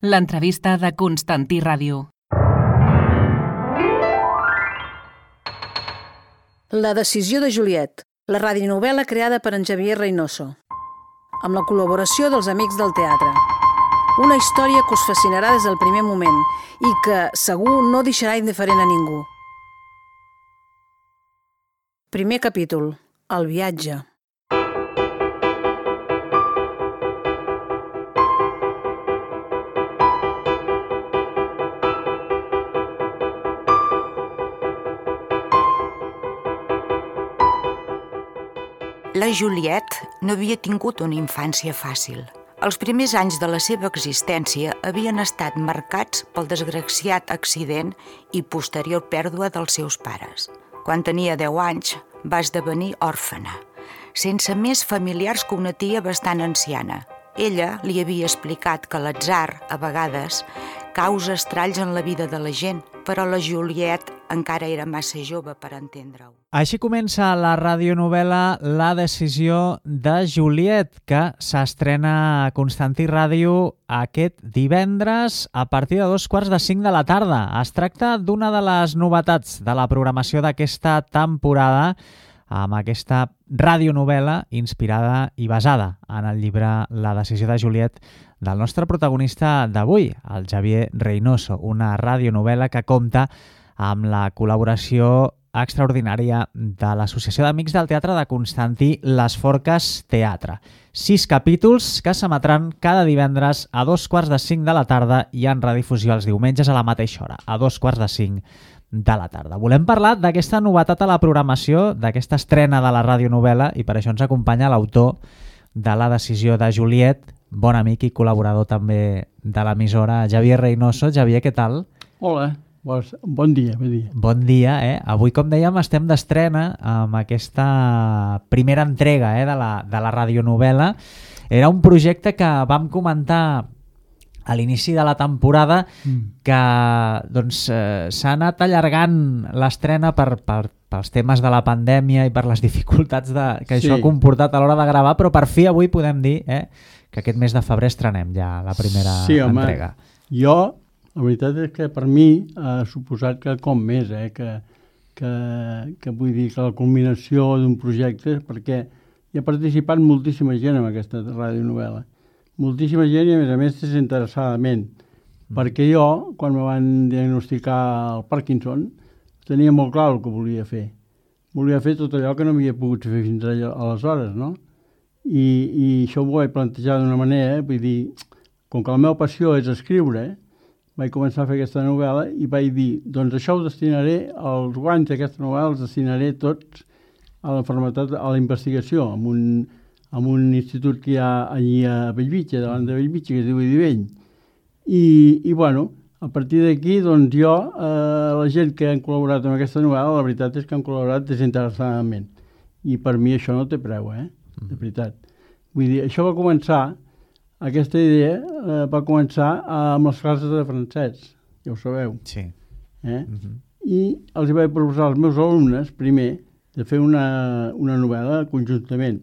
L'entrevista de Constantí Ràdio. La decisió de Juliet, la radionovel·la creada per en Xavier Reynoso, amb la col·laboració dels Amics del Teatre. Una història que us fascinarà des del primer moment i que, segur, no deixarà indiferent a ningú. Primer capítol. El viatge. La Juliet no havia tingut una infància fàcil. Els primers anys de la seva existència havien estat marcats pel desgraciat accident i posterior pèrdua dels seus pares. Quan tenia 10 anys, va esdevenir òrfena, sense més familiars que una tia bastant anciana. Ella li havia explicat que l'atzar, a vegades, causa estralls en la vida de la gent, però la Juliet encara era massa jove per entendre-ho. Així comença la radionovel·la La decisió de Juliet, que s'estrena a Constantí Ràdio aquest divendres a partir de 2:45 de la tarda. Es tracta d'una de les novetats de la programació d'aquesta temporada, amb aquesta radionovel·la inspirada i basada en el llibre La decisió de Juliet del nostre protagonista d'avui, el Xavier Reynoso, una radionovel·la que compta amb la col·laboració extraordinària de l'Associació d'Amics del Teatre de Constantí, Les Forques Teatre. 6 capítols que s'emetran cada divendres a 2:45 de la tarda i en redifusió els diumenges a la mateixa hora, a 2:45 de la tarda. Volem parlar d'aquesta novetat a la programació, d'aquesta estrena de la radionovel·la, i per això ens acompanya l'autor de La decisió de Juliet, bon amic i col·laborador també de l'emissora, Xavier Reynoso. Xavier, què tal? Hola, bon dia. Bon dia, eh? Avui, com dèiem, estem d'estrena amb aquesta primera entrega de la radionovel·la. Era un projecte que vam comentar a l'inici de la temporada que doncs, s'ha anat allargant l'estrena pels temes de la pandèmia i per les dificultats que això ha comportat a l'hora de gravar, però per fi avui podem dir que aquest mes de febrer estrenem ja la primera entrega. Jo, la veritat és que per mi ha suposat que com més, que vull dir que la culminació d'un projecte, perquè hi ha participat moltíssima gent en aquesta radionovel·la. Moltíssima gent i, a més desinteressadament. Perquè jo, quan me van diagnosticar el Parkinson, tenia molt clar el que volia fer. Volia fer tot allò que no havia pogut fer fins aleshores, no? I això ho vaig plantejar d'una manera, vull dir, com que la meva passió és escriure, vaig començar a fer aquesta novel·la i vaig dir, doncs això ho destinaré, els guanys d'aquesta novel·la els destinaré tots a la investigació, amb un institut que hi ha allí a Bellvitge, davant de Bellvitge, que es diu Idivell. I bueno, a partir d'aquí, doncs jo, la gent que han col·laborat amb aquesta novel·la, la veritat és que han col·laborat desinteressadament. I per mi això no té preu, de veritat. Vull dir, això va començar, aquesta idea va començar amb les classes de francès, ja ho sabeu. Sí. I els vaig proposar als meus alumnes, primer, de fer una novel·la conjuntament.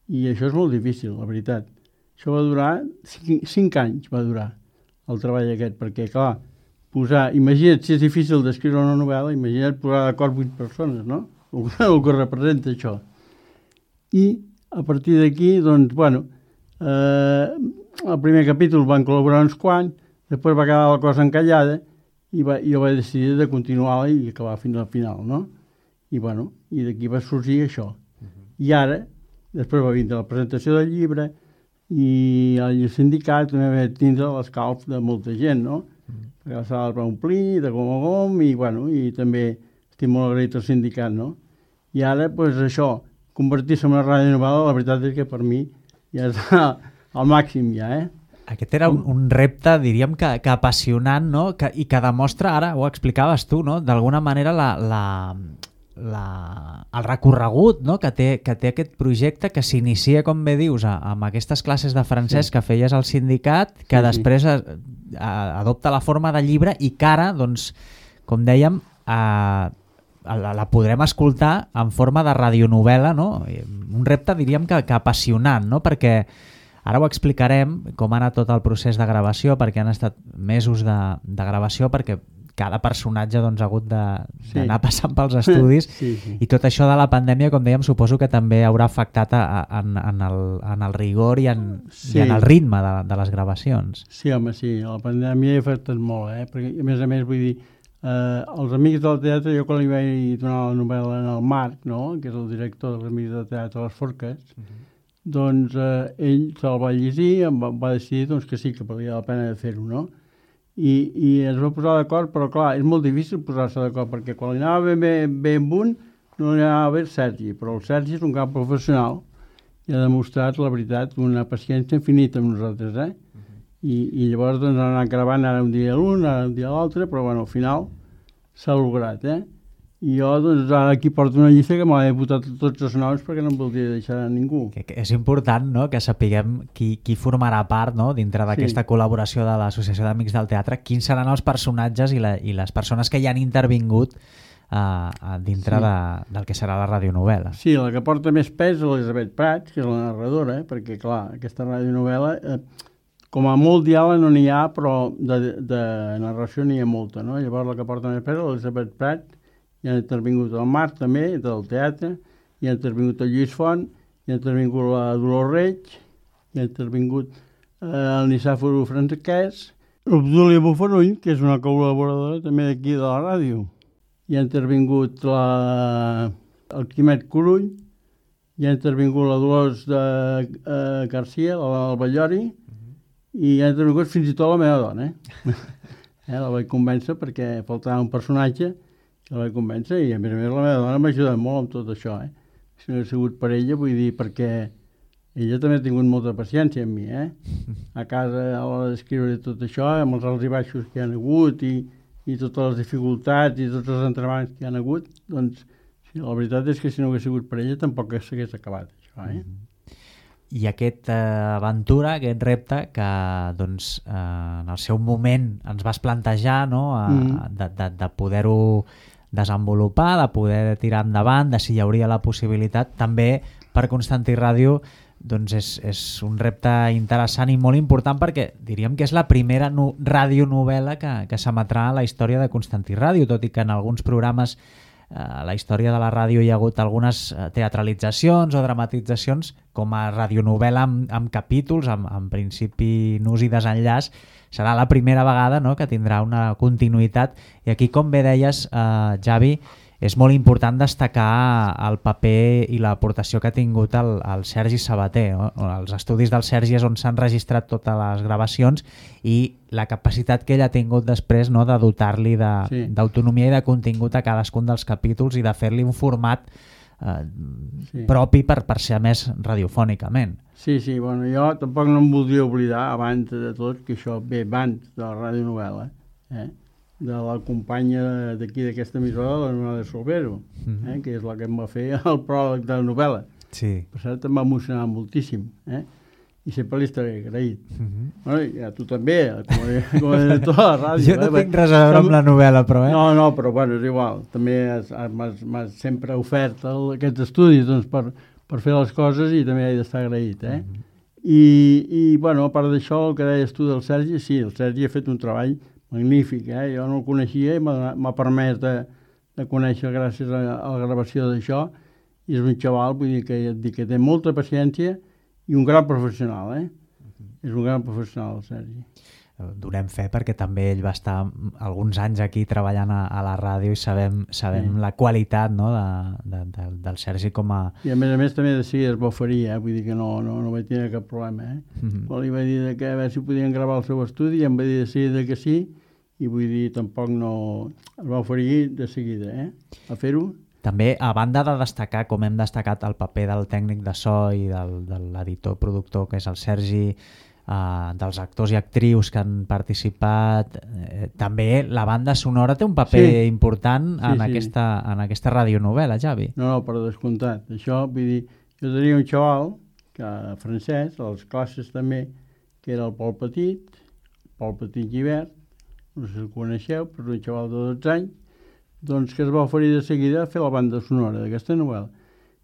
I això és molt difícil, la veritat. Això va durar 5 anys, va durar el treball aquest, perquè, clar, imagina't si és difícil d'escriure una novel·la, imagina't posar d'acord 8 persones, no? El que representa això. I a partir d'aquí, doncs, bueno, el primer capítol van col·laborar uns quants, després va quedar la cosa encallada i jo vaig decidir de continuar-la i acabar fins al final, no? I bueno, i d'aquí va sorgir això. I ara, després va vindre la presentació del llibre i el sindicat també va tindre l'escalf de molta gent, no? Perquè la sala es va omplir de gom a gom i, bueno, i també estic molt agraït al sindicat, no? I ara, doncs això, convertir-se en una radionovel·la, la veritat és que per mi ja és al màxim ja, Aquest era un repte, diríem, que apassionant, no? I que demostra, ara ho explicaves tu, no? D'alguna manera el recorregut, no? que té aquest projecte, que s'inicia, com bé dius, amb aquestes classes de francès que feies al sindicat, que després adopta la forma de llibre i que ara, doncs, com dèiem, la podrem escoltar en forma de radionovel·la, no? Un repte, diríem, que apassionant, no? Perquè Ara ho explicarem, com ha anat tot el procés de gravació, perquè han estat mesos de gravació, perquè cada personatge doncs, ha hagut d'anar passant pels estudis i tot això de la pandèmia, com dèiem, suposo que també haurà afectat en el rigor i en el ritme de les gravacions. Sí, home, sí, la pandèmia ha afectat molt, perquè a més vull dir, els Amics del Teatre, jo quan li vaig donar la novel·la en el Marc, no?, que és el director dels Amics del Teatre Les Forques, doncs ell se'l va llegir, va decidir doncs, que sí, que valia la pena de fer-ho, no?, i es va posar d'acord, però clar, és molt difícil posar-se d'acord, perquè quan li anava bé amb un, no li anava bé el Sergi, però el Sergi és un gran professional i ha demostrat, la veritat, una paciència infinita amb nosaltres, I llavors doncs han anat gravant ara un dia l'un, ara un dia l'altre, però bueno, al final s'ha lograt, I jo doncs ara aquí porto una llista que m'ha votat tots els noms perquè no em voldria deixar a ningú. Que és important, no?, que sapiguem qui formarà part, no?, dintre d'aquesta col·laboració de l'Associació d'Amics del Teatre, quins seran els personatges i les persones que hi han intervingut dintre del que serà la radionovel·la. Sí, la que porta més pes és l'Elisabet Prats, que és la narradora, perquè clar, aquesta radionovel·la, com a molt diàleg no n'hi ha, però de narració n'hi ha molta, no? Llavors la que porta més pes és l'Elisabet Prats, hi ha intervingut el Marc també, del teatre, hi ha intervingut el Lluís Font, hi ha intervingut la Dolors Reig, hi ha intervingut el Nicàfor Franquès, l'Obdúlia Bufarull, que és una col·laboradora també d'aquí de la ràdio, hi ha intervingut el Quimet Corull, hi ha intervingut la Dolors Garcia, la Ballori, i hi ha intervingut fins i tot la meva dona. La vaig convèncer perquè faltava un personatge, que la vaig convèncer, i a més la meva dona m'ha ajudat molt amb tot això. Si no hagués sigut per ella, vull dir, perquè ella també ha tingut molta paciència amb mi. A casa, a l'hora d'escriure tot això, amb els alts i baixos que hi ha hagut i totes les dificultats i tots els entrebancs que hi ha hagut, doncs la veritat és que si no hagués sigut per ella tampoc s'hagués acabat això. I aquesta aventura, aquest repte que doncs, en el seu moment ens vas plantejar, no? De poder-ho desenvolupar, de poder tirar endavant, de si hi hauria la possibilitat, també per Constantí Ràdio doncs és un repte interessant i molt important perquè diríem que és la primera radionovel·la que s'emetrà a la història de Constantí Ràdio, tot i que en alguns programes a la història de la ràdio hi ha hagut algunes teatralitzacions o dramatitzacions com a radionovel·la amb capítols, amb principi, nus i desenllaç. Serà la primera vegada, no?, que tindrà una continuïtat i aquí, com bé deies, Javi, és molt important destacar el paper i l'aportació que ha tingut el Sergi Sabater. No? Els estudis del Sergi és on s'han registrat totes les gravacions i la capacitat que ell ha tingut després, no?, de dotar-li d'autonomia i de contingut a cadascun dels capítols i de fer-li un format propi per ser més radiofònicament. Sí, bueno, jo tampoc no em voldria oblidar, abans de tot, que això ve abans de la radionovel·la, de la companya d'aquí d'aquesta emissora, la Nora de Solvero, que és la que em va fer el pròleg de la novel·la. Sí. Per cert, em va emocionar moltíssim, i sempre li estaré agraït. Bueno, i a tu també, com a director de la ràdio. Jo no tinc res a veure amb la novel·la, però... No, però bueno, és igual. També m'has sempre ofert aquests estudis doncs, per fer les coses i també he d'estar agraït. I bueno, a part d'això, el que deies tu del Sergi, sí, el Sergi ha fet un treball magnífic, jo no el coneixia i m'ha permès de conèixer gràcies a la gravació d'això, i és un xaval, vull dir que té molta paciència i un gran professional, És un gran professional, el Sergi. Donem fe perquè també ell va estar alguns anys aquí treballant a la ràdio i sabem la qualitat, no?, del Sergi com a... I a més també de seguida es va oferir, vull dir que no vaig tenir cap problema, Quan li vaig dir que a veure si podien gravar el seu estudi i em va dir de seguida que sí, i vull dir, tampoc no... es va oferir de seguida, a fer-ho. També, a banda de destacar, com hem destacat, el paper del tècnic de so i de l'editor-productor, que és el Sergi, dels actors i actrius que han participat, també la banda sonora té un paper important en aquesta radionovel·la, Javi. No, per descomptat. Això, vull dir, jo tenia un xaval, francès, a les classes també, que era el Pol Petit Givert, no sé si el coneixeu, però un xaval de 12 anys, doncs que es va oferir de seguida a fer la banda sonora d'aquesta novel·la.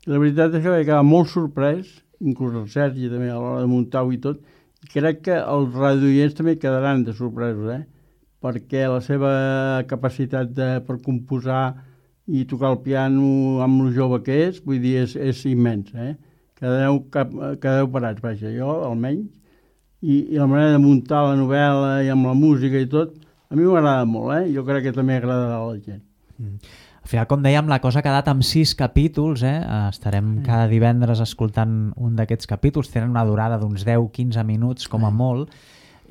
I la veritat és que vaig quedar molt sorprès inclús el Sergi també a l'hora de muntar-ho i tot, i crec que els radioients també quedaran de sorpresos, perquè la seva capacitat per composar i tocar el piano amb el jove que és, vull dir, és immens, Quedeu parats, vaja, jo almenys, i la manera de muntar la novel·la i amb la música i tot, a mi m'agrada molt, jo crec que també agradarà a la gent. Al final, com dèiem, la cosa ha quedat amb 6 capítols, estarem cada divendres escoltant un d'aquests capítols, tenen una durada d'uns 10-15 minuts com a molt,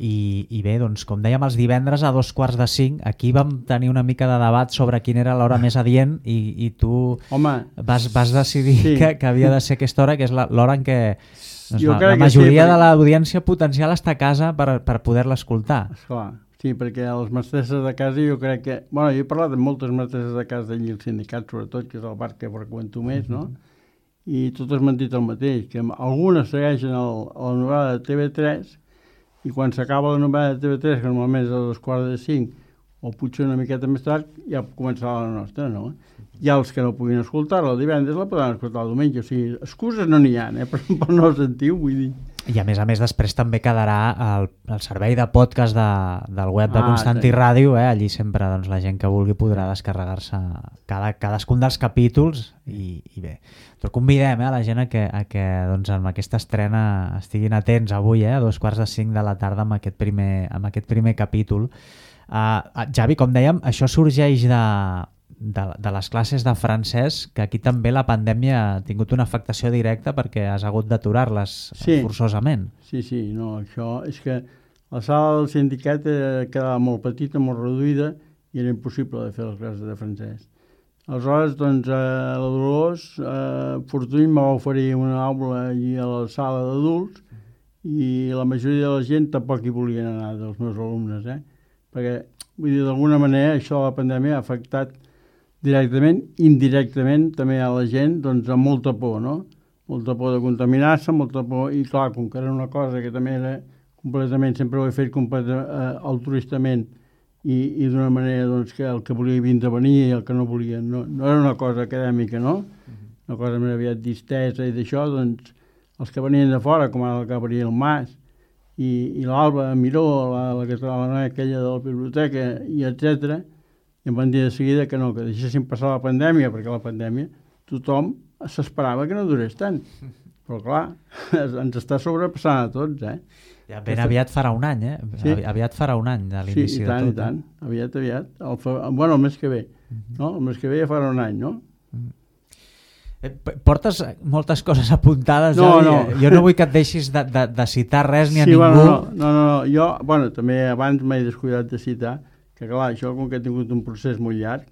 i bé, doncs, com dèiem, els divendres a 2:45, aquí vam tenir una mica de debat sobre quina era l'hora més adient i tu vas decidir que havia de ser aquesta hora, que és l'hora en què la majoria de l'audiència potencial està a casa per poder-la escoltar. Esclar. Sí, perquè les mestresses de casa jo crec que... Bueno, jo he parlat amb moltes mestresses de casa d'allí, el sindicat sobretot, que és el bar que freqüento més, no? I totes m'han dit el mateix, que algunes segueixen la novel·la de TV3 i quan s'acaba la novel·la de TV3, que normalment és a 2:45, o potser una miqueta més tard, ja començarà la nostra, no? I els que no puguin escoltar-la el divendres la podran escoltar el diumenge. O sigui, excuses no n'hi ha, per no sentir-ho, vull dir. I a més després també quedarà el servei de podcast del web de Constantí Ràdio, allí sempre la gent que vulgui podrà descarregar-se cadascun dels capítols i bé. Però convidem a la gent a que amb aquesta estrena estiguin atents avui a 2:45 de la tarda amb aquest primer capítol. Javi, com dèiem, això sorgeix de les classes de francès, que aquí també la pandèmia ha tingut una afectació directa perquè has hagut d'aturar-les forçosament. Sí, no, això és que la sala del sindicat quedava molt petita, molt reduïda, i era impossible de fer les classes de francès. Aleshores, doncs, la Dolors Fortuny em va oferir una aula allí a la sala d'adults i la majoria de la gent tampoc hi volien anar, dels meus alumnes, perquè, vull dir, d'alguna manera això de la pandèmia ha afectat directament, indirectament, també a la gent, doncs amb molta por, no? Molta por de contaminar-se, molta por, i clar, com que era una cosa que també era completament, sempre ho he fet altruistament i d'una manera doncs, que el que volia vindre a venir i el que no volia, no era una cosa acadèmica, no? Una cosa més aviat distesa i d'això, doncs, els que venien de fora, com ara el Gabriel Mas i l'Alba Miró, la noia aquella de la biblioteca, i etcètera, i em van dir de seguida que no, que deixessin passar la pandèmia, perquè la pandèmia tothom s'esperava que no durés tant. Però clar, ens està sobrepassant a tots, Ja ben aviat farà un any, Sí. Aviat farà un any de l'inici de tot. Sí, i tant. Aviat. Bueno, el mes que ve. No? El mes que ve ja farà un any, no? Portes moltes coses apuntades, no. Jo no vull que et deixis de citar res ni a ningú. No, jo, també abans m'he descuidat de citar, que clar, això com que ha tingut un procés molt llarg,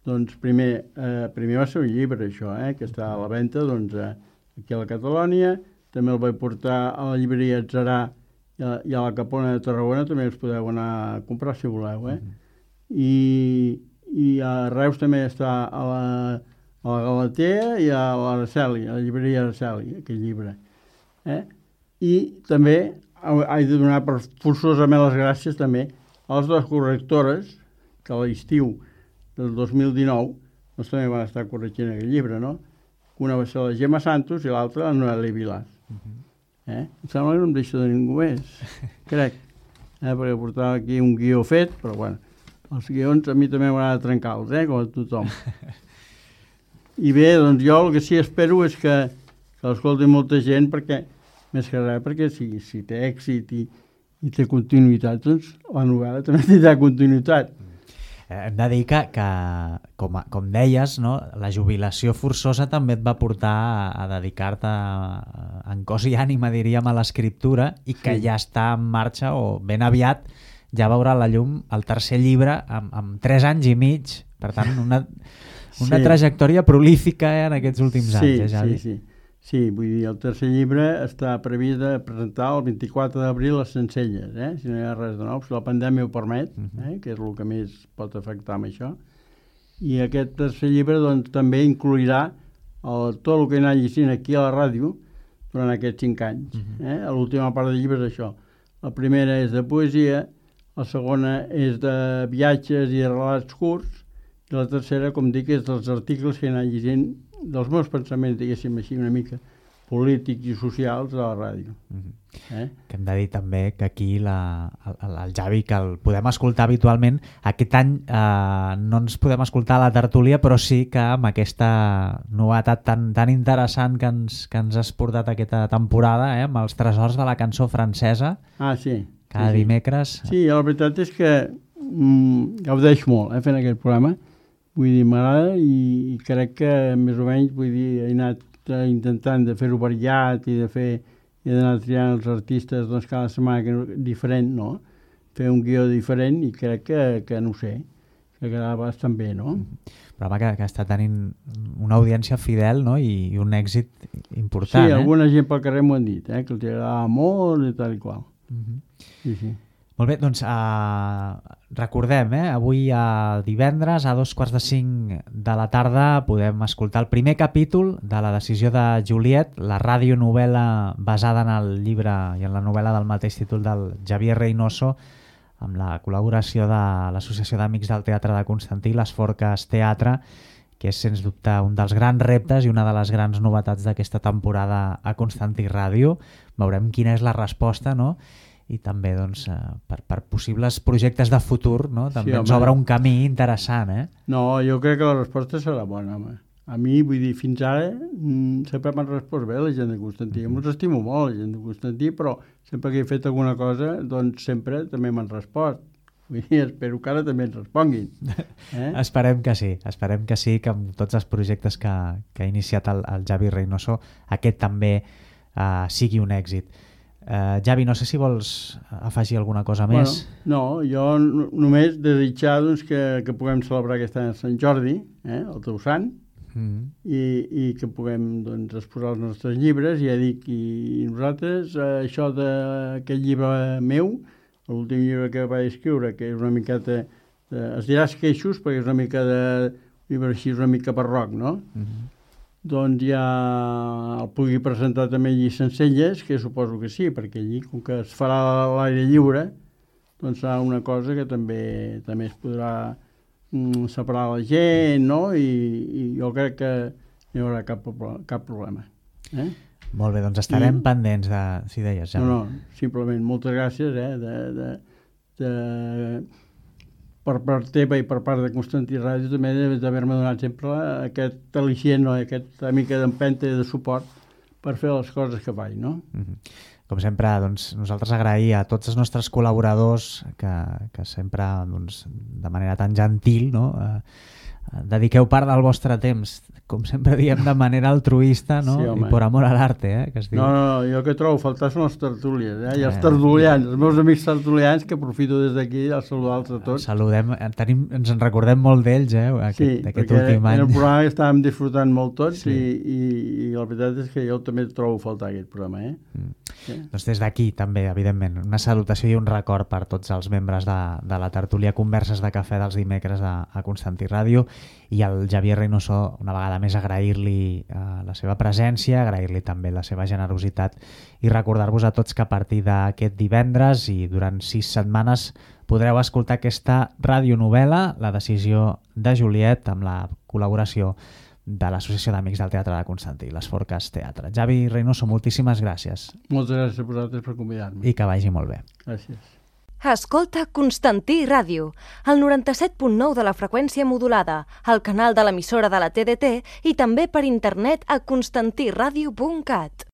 doncs primer va ser un llibre, això, que està a la venda doncs, aquí a la Catalònia, també el vaig portar a la llibreria Atzarà i a la Capona de Tarragona, també els podeu anar a comprar si voleu, I a Reus també està a la Galatea i a l'Araceli, a la llibreria Araceli, aquest llibre. I també he de donar forçosament les gràcies també a les dues correctores, que a l'estiu del 2019 doncs també van estar corregint aquest llibre, no? Una va ser la Gemma Santos i l'altra la Noelia Vilar. Em sembla que no em deixo de ningú més, crec, perquè portava aquí un guió fet, però bueno, els guions a mi també m'agrada trencar-los, com a tothom. I bé, doncs jo el que sí espero és que l'escolti molta gent, perquè, més que res, perquè si té èxit i té continuïtat, doncs la novel·la també tindrà continuïtat. Hem de dir que com deies, no, la jubilació forçosa també et va portar a dedicar-te en cos i ànima, diríem, a l'escriptura, i que ja està en marxa, o ben aviat ja veurà la llum el tercer llibre amb 3 anys i mig. Per tant, una trajectòria prolífica en aquests últims anys, Javi. Sí, vull dir, el tercer llibre està previst de presentar el 24 d'abril a Sencelles, si no hi ha res de nou, si la pandèmia ho permet, que és el que més pot afectar amb això. I aquest tercer llibre doncs, també inclourà tot el que he anat llegint aquí a la ràdio durant aquests 5 anys. L'última part del llibre és això. La primera és de poesia, la segona és de viatges i relats curts, i la tercera, com dic, és dels articles que he anat llegint, dels meus pensaments, diguéssim així, una mica polítics i socials de la ràdio. Que hem de dir també que aquí el Javi, que el podem escoltar habitualment, aquest any no ens podem escoltar a la tertúlia, però sí que amb aquesta novetat tan interessant que ens has portat aquesta temporada, amb els tresors de la cançó francesa, Sí. cada dimecres. Sí, la veritat és que gaudeix molt fent aquest programa. Vull dir, m'agrada i crec que més o menys, vull dir, he anat intentant de fer-ho variat i d'anar triant els artistes doncs, cada setmana diferent, no? Fer un guió diferent i crec que no ho sé, que quedava bastant bé, no? Programa que està tenint una audiència fidel, no? I un èxit important. Sí, alguna gent pel carrer m'ho han dit, que els agradava molt i tal i qual. Sí. Molt bé, doncs recordem, avui divendres a 4:45 de la tarda podem escoltar el primer capítol de La decisió de Juliet, la radionovel·la basada en el llibre i en la novel·la del mateix títol del Xavier Reynoso, amb la col·laboració de l'Associació d'Amics del Teatre de Constantí, les Forques Teatre, que és sens dubte un dels grans reptes i una de les grans novetats d'aquesta temporada a Constantí Ràdio. Veurem quina és la resposta, no? I també doncs, per possibles projectes de futur, no? També ens obre un camí interessant. No, jo crec que la resposta serà bona, home. A mi, vull dir, fins ara sempre m'han respost bé la gent de Constantí. Jo els estimo molt, la gent de Constantí, però sempre que he fet alguna cosa, doncs sempre també m'han respost. Vull dir, espero que ara també ens responguin. Esperem que sí, que amb tots els projectes que ha iniciat el Xavi Reynoso, aquest també sigui un èxit. Javi, no sé si vols afegir alguna cosa més. No, jo només desitjar doncs, que puguem celebrar aquest any Sant Jordi, el teu sant, i que puguem doncs, exposar els nostres llibres. Ja dic, i nosaltres, això d'aquest llibre meu, l'últim llibre que vaig escriure, que és una miqueta, es dirà esqueixos, perquè és una mica de llibre així, una mica barroc, no? Doncs ja el pugui presentar també allí Sencelles, que suposo que sí, perquè allí, com que es farà a l'aire lliure, doncs serà una cosa que també es podrà separar la gent, no? I jo crec que no hi haurà cap problema. Molt bé, doncs estarem pendents de... Si deies, ja. No, simplement moltes gràcies per part teva i per part de Constantí Ràdio també d'haver-me donat sempre aquest al·licient, aquesta mica d'empenta i de suport per fer les coses que faig, no? Com sempre, doncs, nosaltres agrair a tots els nostres col·laboradors que sempre, doncs, de manera tan gentil, no? Dediqueu part del vostre temps, com sempre diem, de manera altruista, no? Sí, i per amor a l'arte, que es diu. No, jo que trobo faltar són les tertúlies, i els tertulians, els meus amics tertulians, que aprofito des d'aquí a saludar-los a tots. Saludem, ens en recordem molt d'ells, aquest últim any. En el programa estàvem disfrutant molt tots, i la veritat és que jo també trobo faltar aquest programa, Doncs des d'aquí també, evidentment, una salutació i un record per tots els membres de la tertúlia Converses de Cafè dels dimecres a Constantí Ràdio, i al Xavier Reynoso una vegada més agrair-li la seva presència, agrair-li també la seva generositat i recordar-vos a tots que a partir d'aquest divendres i durant 6 setmanes podreu escoltar aquesta radionovel·la, La decisió de Juliet, amb la col·laboració de l'Associació d'Amics del Teatre de Constantí, les Forques Teatre. Xavi Reynoso, moltíssimes gràcies. Moltes gràcies a vosaltres per convidar-me. I que vagi molt bé. Gràcies. Escolta Constantí Ràdio, el 97.9 de la freqüència modulada, al canal de l'emissora de la TDT i també per internet a constantiradio.cat.